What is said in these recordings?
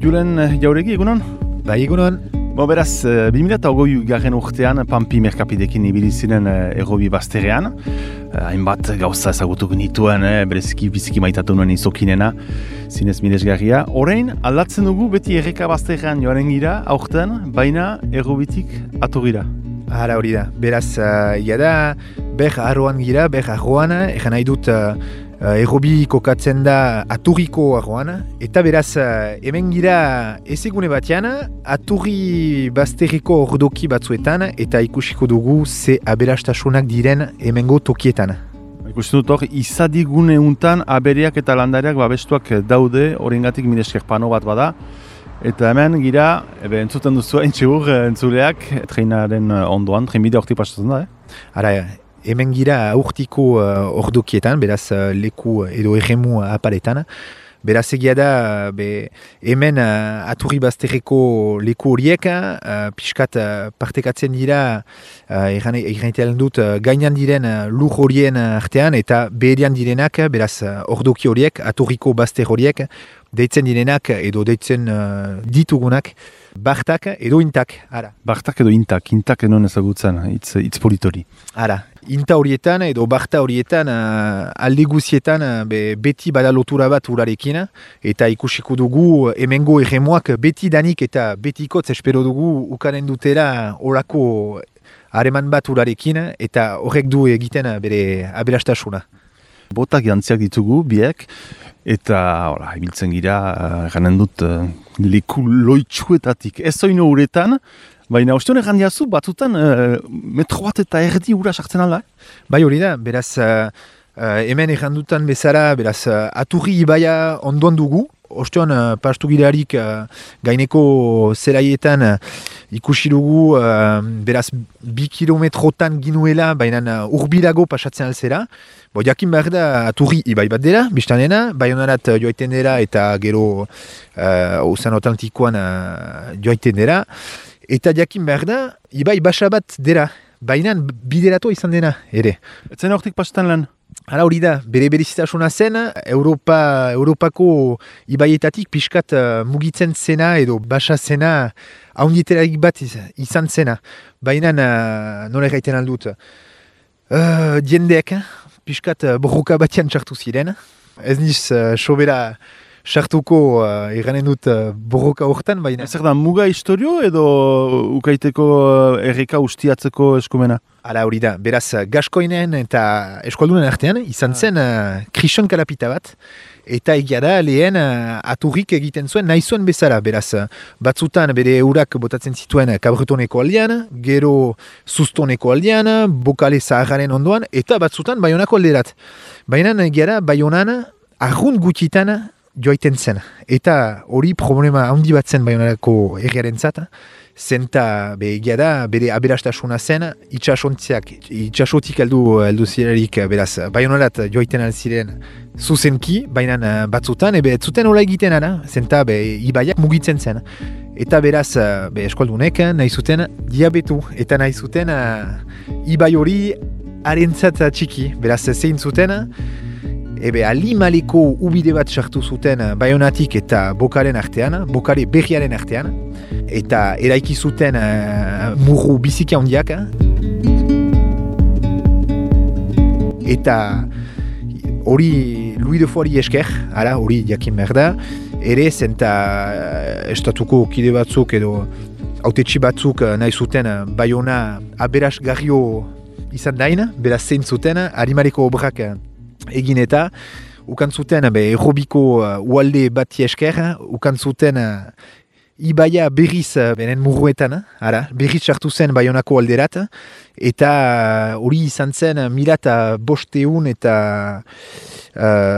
Julen Jauregi, egunon? Bai, egunon. Beraz, 2008 garren urtean Pampi merkapidekin ibili ziren errobi bazterrean. Hainbat gauza ezagutu genituen, bereziki biziki maitatu nuen izokinena, zinez miresgarria. Orain, aldatzen dugu beti erreka bazterrean joaren gira, aurten, baina errobitik atogira. Hala hori da. Beraz, da, ber arroan gira, ber arroan, egan nahi dut errobi kokatzen da aturriko arroan, eta beraz, hemen gira ezegune batean, aturri bazterriko ordoki batzuetan, eta ikusiko dugu ze aberastasunak diren hemengo tokietan. Ikusten dut hor, izadigune untan abereak eta landariak babestuak daude, horrengatik miresker pano bat bada, eta hemen gira, entzuten duzu entxegur entzuleak, treinaren ondoan, treinbide hortik pasatzen da, Ara, hemen gira urtiko ordokietan, beraz leku edo erremu apaletan. Beraz egia da, hemen aturri bazterreko leku horiek, pixkat partekatzen dira, erraitean dut, gainan diren lur horien artean, eta beherian direnak, beraz ordoki horiek, aturriko bazter horiek, deitzen direnak edo deitzen ditugunak, bartak edo intak. Ara. Bartak edo intak enon ezagutzen, hitz politori. Ara. Inta horietan edo barta horietan alde guzietan beti bada lotura bat urarekin, eta ikusiko dugu hemengo erremoak beti danik eta betikotz espero dugu ukanen dutela orako hareman bat urarekin, eta horrek du egiten bere aberastasuna. Botak jantziak ditugu, biek, eta ibiltzen gira, ganen dut, leku loitsuetatik. Ez zoino uretan, baina ostion egan diazu, batzutan metro bat eta erdi ura sartzen alda? Bai hori da, beraz, hemen egan dutan bezala, beraz, aturri ibaia ondoan dugu, ostion pastu gilarik gaineko zelaietan ikusi dugu, beraz, 2 kilometrotan ginuela, baina urbilago pasatzen alzera. Jakin behar da, aturri ibai bat dela, biztanena, baionarat joaiten dela eta gero Ozeano Atlantikoan joaiten dela. Eta jakin behar da, ibai basa bat dela, baina biderato izan dena ere. Etzen hortik pasetan lan? Hala hori da, bere berezitasuna zen, Europako ibaietatik pixkat mugitzen zena edo basa zena haunditerarik bat izan zena. Baina nola erraiten aldut, diendeek, pixkat borroka batean txartu ziren. Ez niz sobera sartuko eranen dut borroka hortan, baina... Zer da, muga historio edo ukaiteko erreka ustiatzeko eskumena? Hala hori da, beraz gaskoinen eta eskualdunen artean izan zen krison kalapita bat, eta egia da lehen aturrik egiten zuen nahi zuen bezala, beraz batzutan bere eurak botatzen zituen kabretoneko aldean, gero sustoneko aldean, bokale zaharren ondoan, eta batzutan baionako alderat. Baina egia da baionan arrunt gutxitan joaiten zen, eta hori problema handi bat zen baionarako erriaren zata, zenta egia da, bere aberastasuna zen, itxasotik heldu zirerik, beraz, baionarat joaiten alziren zuzenki, baina batzutan, ez zuten hola egiten ara, zenta ibaiak mugitzen zen. Eta beraz, eskualdunek nahi zuten diabetu, eta nahi zuten ibai hori harentzat txiki, beraz, zein zuten, alimaleko ubide bat sartu zuten baionatik eta bokaren artean, bokare berriaren artean, eta eraiki zuten murru biziki handiak. Eta hori Louis de Foari esker, hori jakin behar da, ere zenta estatuko kide batzuk edo autetxi batzuk nahi zuten baiona aberasgarrio izan dain, beraz zein zuten, harimareko obrak egin eta ukan zuten errobiko ualde bati esker, ukan zuten ibaia berriz benen murruetan, berriz sartu zen baionako alderat, eta hori izan zen 1500 eta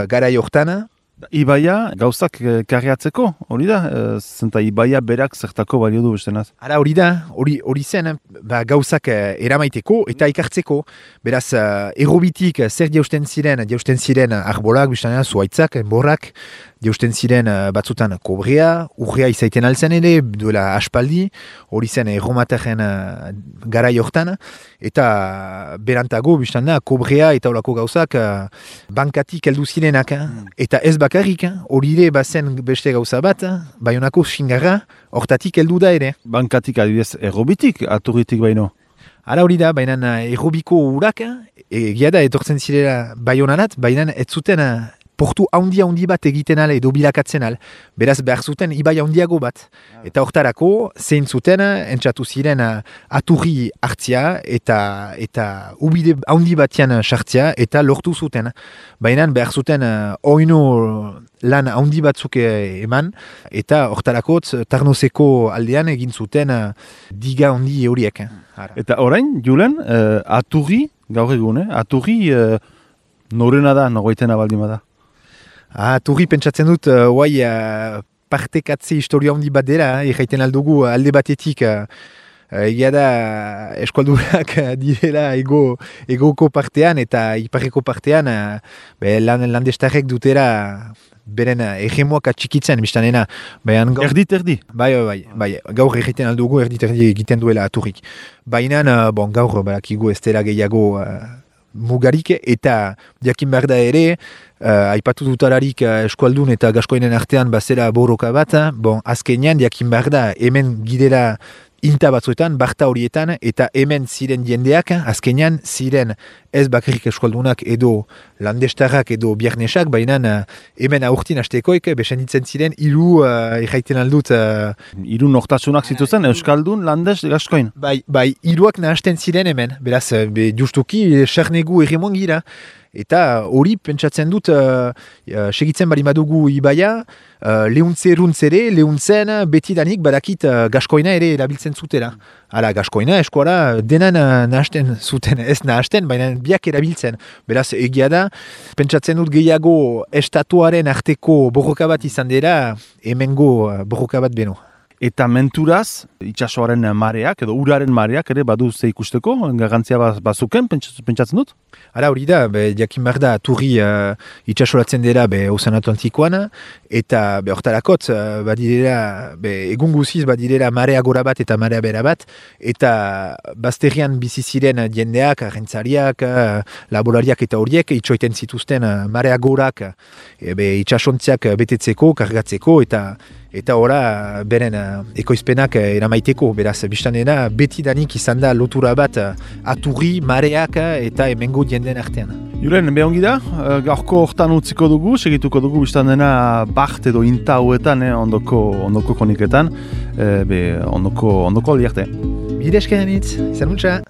garai hortan, Ibaia gauzak karriatzeko, hori da? Zenta Ibaia berak zertako balio du bestenaz. Hala hori da, hori zen, gauzak eramaiteko eta ikartzeko. Beraz, errobitik zer jausten ziren arbolak, biztanea, zuaitzak, enborrak, jausten ziren batzutan kobrea, urrea izaiten altzen ere, duela aspaldi, hori zen erromataren garai hortan, eta berantago, biztanea, kobrea eta olako gauzak bankatik heldu zirenak, eta ez bakarrik, hori ere bazen beste gauza bat, Baionako xingarra hortatik heldu da ere. Bankatik adibidez errobitik, aturritik baino. Hala hori da, baina errobiko urak, egia da etortzen zirela Baionarat, baina ez zuten portu handi bat egiten al edo bilakatzen al. Beraz behar zuten ibai handiago bat. Eta hortarako zein zuten entzatu ziren aturri hartzia eta ubide handi batian sartzia eta lortu zuten. Baina behar zuten oino lan handi batzuk eman eta hortarako Tarnoseko aldean egin zuten diga handi horiek. Eta orain, Julen, aturri, gaur egun, aturri norena da, nogoitena baldima da? Aturri pentsatzen dut, partekatze historia handi bat dela, erraiten aldugu alde batetik, egia da eskualdurak direla egoko partean eta iparreko partean, landestarrek dutera beren hegemoak atxikitzen, biztanena. Erdi. Bai, gaur erraiten aldugu erdi egiten duela aturrik. Baina, gaur balakigu ez dela gehiago mugarik eta jakin behar da ere, aipatu dutararik eskualdun eta gaskoinen artean bazera borroka bat, azkenean jakin behar da hemen gidera inta batzuetan, barta horietan, eta hemen ziren jendeak, azkenean ziren ez bakarrik eskualdunak edo landestarrak edo biarnesak, baina hemen aurtin hastekoek, besenditzen ziren hiru erraiten aldut. Hiru nortasunak zituzen, euskaldun, landes, gaskoin? Bai, hiruak nahasten ziren hemen, beraz, justuki, xarnegu erremoan gira. Eta hori pentsatzen dut segitzen bali madugu Ibaia, lehuntzen betidanik badakit gaskoina ere erabiltzen zutela. Hala, gaskoina eskuara denan nahasten zuten, ez nahasten, baina biak erabiltzen. Beraz, egia da, pentsatzen dut gehiago estatuaren arteko borroka bat izan dira, hemengo borroka bat beno. Eta menturaz, itsasoaren mareak edo uraren mareak ere badu ze ikusteko, garrantzia bazuken, pentsatzen dut? Hala hori da, jakin behar da, turri itsasoratzen dira Ozean Atlantikoan, eta hortarakot, egun guziz badirera marea gora bat eta marea bera bat, eta bazterrian bizi ziren jendeak, arrentzariak, laborariak eta horiek, itxoiten zituzten marea gorak itsasontziak betetzeko, kargatzeko, eta ora beren ekoizpenak eramaiteko, beraz, biztanena betidanik izan da lotura bat aturri, mareak eta hemengo jenden artean. Julen, behongi da, gaurko hortan utziko dugu, segituko dugu biztanena baht edo inta hauetan, ondoko koniketan, ondoko aldiarte. Bide eskerenitz, izan mutxa!